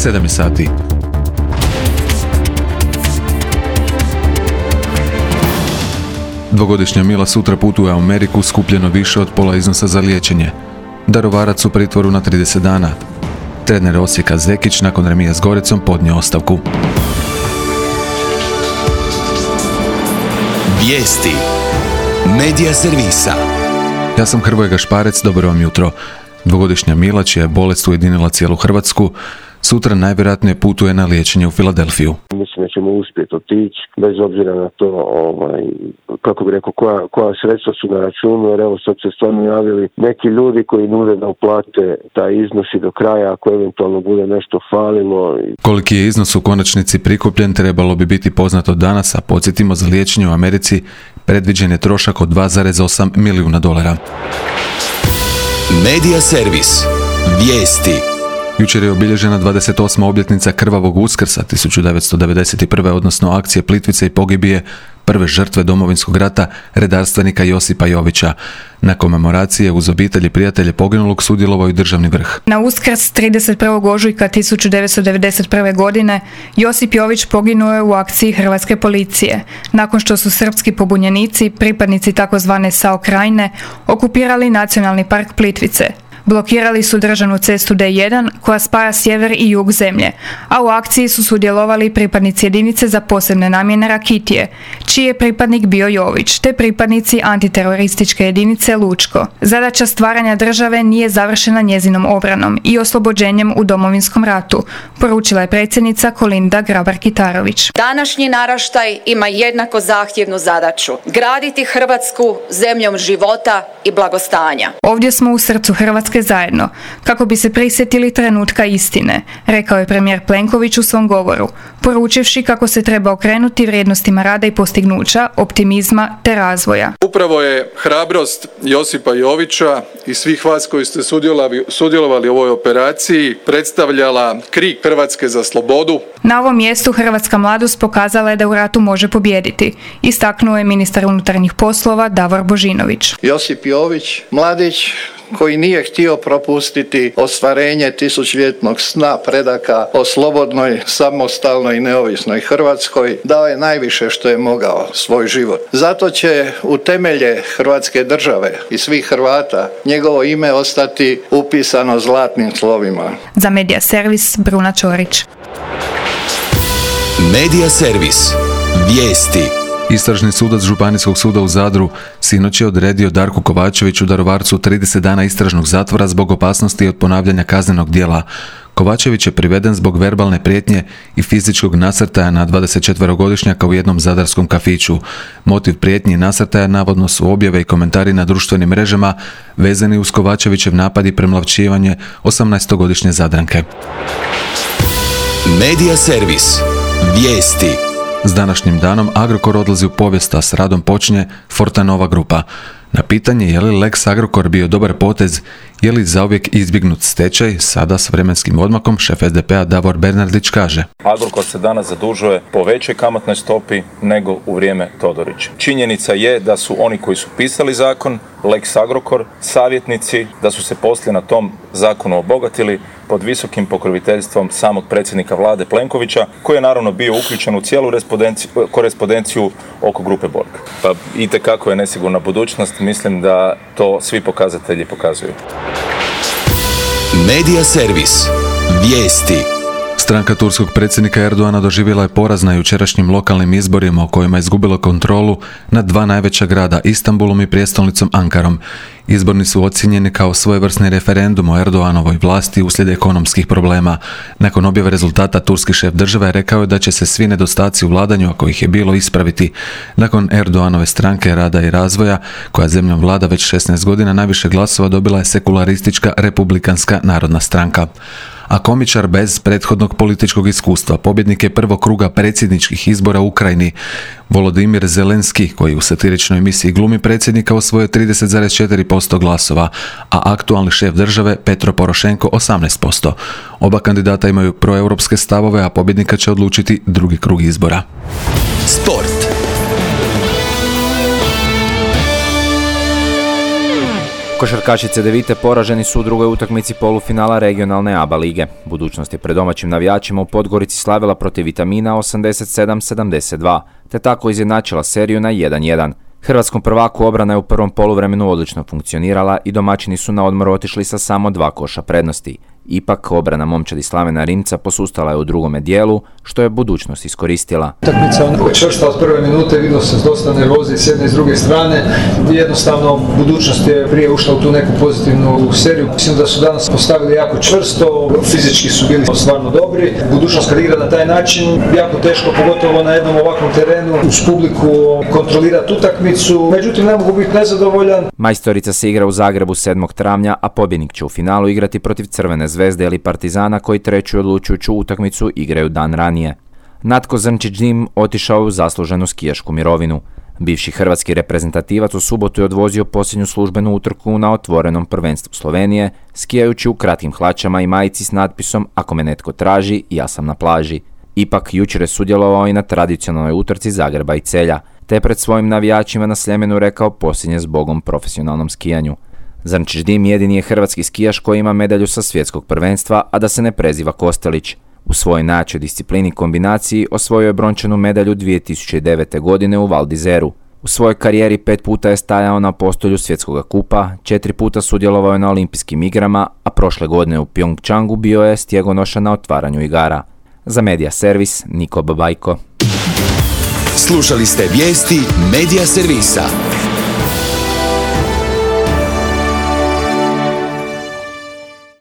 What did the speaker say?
7 sati. Dvogodišnja Mila sutra putuje u Ameriku, skupljeno više od pola iznosa za liječenje. Darovarac u pritvoru na 30 dana. Trener Osijeka Zekić nakon remija s Gorecom podnio ostavku. Vijesti Medija servisa. Ja sam Hrvoje Gašparec, dobro vam jutro. Dvogodišnja Mila, čija je bolest ujedinila cijelu Hrvatsku, sutra najvjerojatnije putuje na liječenje u Filadelfiju. Mislim da ćemo uspjeti otići, bez obzira na to, kako bi rekao, koja sredstva su na računu, jer evo sad se stvarno javili neki ljudi koji nude da uplate taj iznos i do kraja, ako eventualno bude nešto falilo. Koliki je iznos u konačnici prikupljen trebalo bi biti poznato danas, a podsjetimo, za liječenje u Americi predviđen je trošak od $2,8 milijuna. Medija servis. Vijesti. Jučer je obilježena 28. obljetnica Krvavog Uskrsa 1991. odnosno akcije Plitvice i pogibije prve žrtve Domovinskog rata, redarstvenika Josipa Jovića. Na komemoraciji uz obitelji i prijatelje poginulog sudjelovao i državni vrh. Na Uskrs 31. ožujka 1991. godine Josip Jović poginuo je u akciji Hrvatske policije, nakon što su srpski pobunjenici, pripadnici takozvane SAO Krajine, okupirali Nacionalni park Plitvice. Blokirali su državnu cestu D1 koja spaja sjever i jug zemlje, a u akciji su sudjelovali pripadnici jedinice za posebne namjene Rakitije, čiji je pripadnik bio Jović, te pripadnici antiterorističke jedinice Lučko. Zadaća stvaranja države nije završena njezinom obranom i oslobođenjem u Domovinskom ratu, poručila je predsjednica Kolinda Grabar-Kitarović. Današnji naraštaj ima jednako zahtjevnu zadaću: graditi Hrvatsku zemljom života i blagostanja. Ovdje smo u srcu Hrvatske zajedno, kako bi se prisjetili trenutka istine, rekao je premijer Plenković u svom govoru, poručivši kako se treba okrenuti vrijednostima rada i postignuća, optimizma te razvoja. Upravo je hrabrost Josipa Jovića i svih vas koji ste sudjelovali u ovoj operaciji predstavljala krik Hrvatske za slobodu. Na ovom mjestu hrvatska mladost pokazala je da u ratu može pobijediti, istaknuo je ministar unutarnjih poslova Davor Božinović. Josip Jović, mladić koji nije htio propustiti ostvarenje tisućljetnog sna predaka o slobodnoj, samostalnoj i neovisnoj Hrvatskoj, dao je najviše što je mogao, svoj život. Zato će u temelje Hrvatske države i svih Hrvata njegovo ime ostati upisano zlatnim slovima. Za Medija servis Bruna Čorić. Medija servis. Vijesti. Istražni sudac Županijskog suda u Zadru sinoć je odredio Darku Kovačeviću Darovarcu 30 dana istražnog zatvora zbog opasnosti od ponavljanja kaznenog djela. Kovačević je priveden zbog verbalne prijetnje i fizičkog nasrtaja na 24-godišnjaka u jednom zadarskom kafiću. Motiv prijetnji i nasrtaja navodno su objave i komentari na društvenim mrežama vezani uz Kovačevićev napad i premlavčivanje 18-godišnje Zadranke. Medija servis. Vijesti. S današnjim danom Agrokor odlazi u povijest, a s radom počinje Fortanova grupa. Na pitanje je li Lex Agrokor bio dobar potez, je li zauvijek izbjegnut stečaj, sada s vremenskim odmakom šef SDP-a Davor Bernardić kaže: Agrokor se danas zadužuje po većoj kamatnoj stopi nego u vrijeme Todorića. Činjenica je da su oni koji su pisali zakon, Lex Agrokor, savjetnici, da su se poslije na tom zakonu obogatili pod visokim pokroviteljstvom samog predsjednika vlade Plenkovića, koji je naravno bio uključen u cijelu korespondenciju oko grupe Borg. Pa itekako je nesigurna budućnost, mislim da to svi pokazatelji pokazuju. Medija servis. Vijesti. Stranka turskog predsjednika Erdoana doživjela je poraz na jučerašnjim lokalnim izborima u kojima je izgubila kontrolu nad dva najveća grada, Istanbulom i prijestolnicom Ankarom. Izborni su ocijenjeni kao svojevrsni referendum o Erdoanovoj vlasti uslijed ekonomskih problema. Nakon objave rezultata turski šef države rekao je da će se svi nedostaci u vladanju, ako ih je bilo, ispraviti. Nakon Erdoanove stranke rada i razvoja, koja zemljom vlada već 16 godina, najviše glasova dobila je sekularistička Republikanska narodna stranka. A komičar bez prethodnog političkog iskustva, pobjednik je prvog kruga predsjedničkih izbora u Ukrajini. Volodimir Zelenski, koji u satiričnoj emisiji glumi predsjednika, osvojio 30,4% glasova, a aktualni šef države Petro Porošenko 18%. Oba kandidata imaju proeuropske stavove, a pobjednika će odlučiti drugi krug izbora. Sport. Košarkašice Devite poraženi su u drugoj utakmici polufinala regionalne ABA lige. Budućnost je pred domaćim navijačima u Podgorici slavila protiv Vitamina 87-72, te tako izjednačila seriju na 1-1. Hrvatskom prvaku obrana je u prvom poluvremenu odlično funkcionirala i domaćini su na odmor otišli sa samo 2 koša prednosti. Ipak, obrana momčadi Slavena Rimca posustala je u drugome dijelu, što je budućnost iskoristila. Utakmica je čvrsta od prve minute, vidio se dosta nervoze s jedne i s druge strane. Jednostavno, budućnost je prije ušla u tu neku pozitivnu seriju. Mislim da su danas postavili jako čvrsto, fizički su bili stvarno dobri. Budućnost kad igra na taj način, jako teško, pogotovo na jednom ovakvom terenu, uz publiku kontrolirati utakmicu. Međutim, ne mogu biti nezadovoljan. Majstorica se igra u Zagrebu 7. travnja, a pobjednik će u finalu igrati protiv Crvene Zvezde ili Partizana, koji treću odlučujuću utakmicu igraju dan ranije. Natko Zrnčić-Dim otišao je u zasluženu skijašku mirovinu. Bivši hrvatski reprezentativac u subotu je odvozio posljednju službenu utrku na otvorenom prvenstvu Slovenije, skijajući u kratkim hlačama i majici s natpisom "Ako me netko traži, ja sam na plaži". Ipak, jučer je sudjelovao i na tradicionalnoj utrci Zagreba i Celja, te pred svojim navijačima na Sljemenu rekao posljednje zbogom profesionalnom skijanju. Zrnčić-Dim jedini je hrvatski skijaš koji ima medalju sa svjetskog prvenstva, a da se ne preziva Kostelić. U svojoj najjačoj disciplini kombinaciji osvojio je brončanu medalju 2009. godine u Val d'Izeru. U svojoj karijeri 5 puta je stajao na postolju svjetskog kupa, 4 puta sudjelovao je na olimpijskim igrama, a prošle godine u Pyeongchangu bio je stjegonoša na otvaranju igara. Za Media Servis, Niko Babajko. Slušali ste vijesti Media Servisa.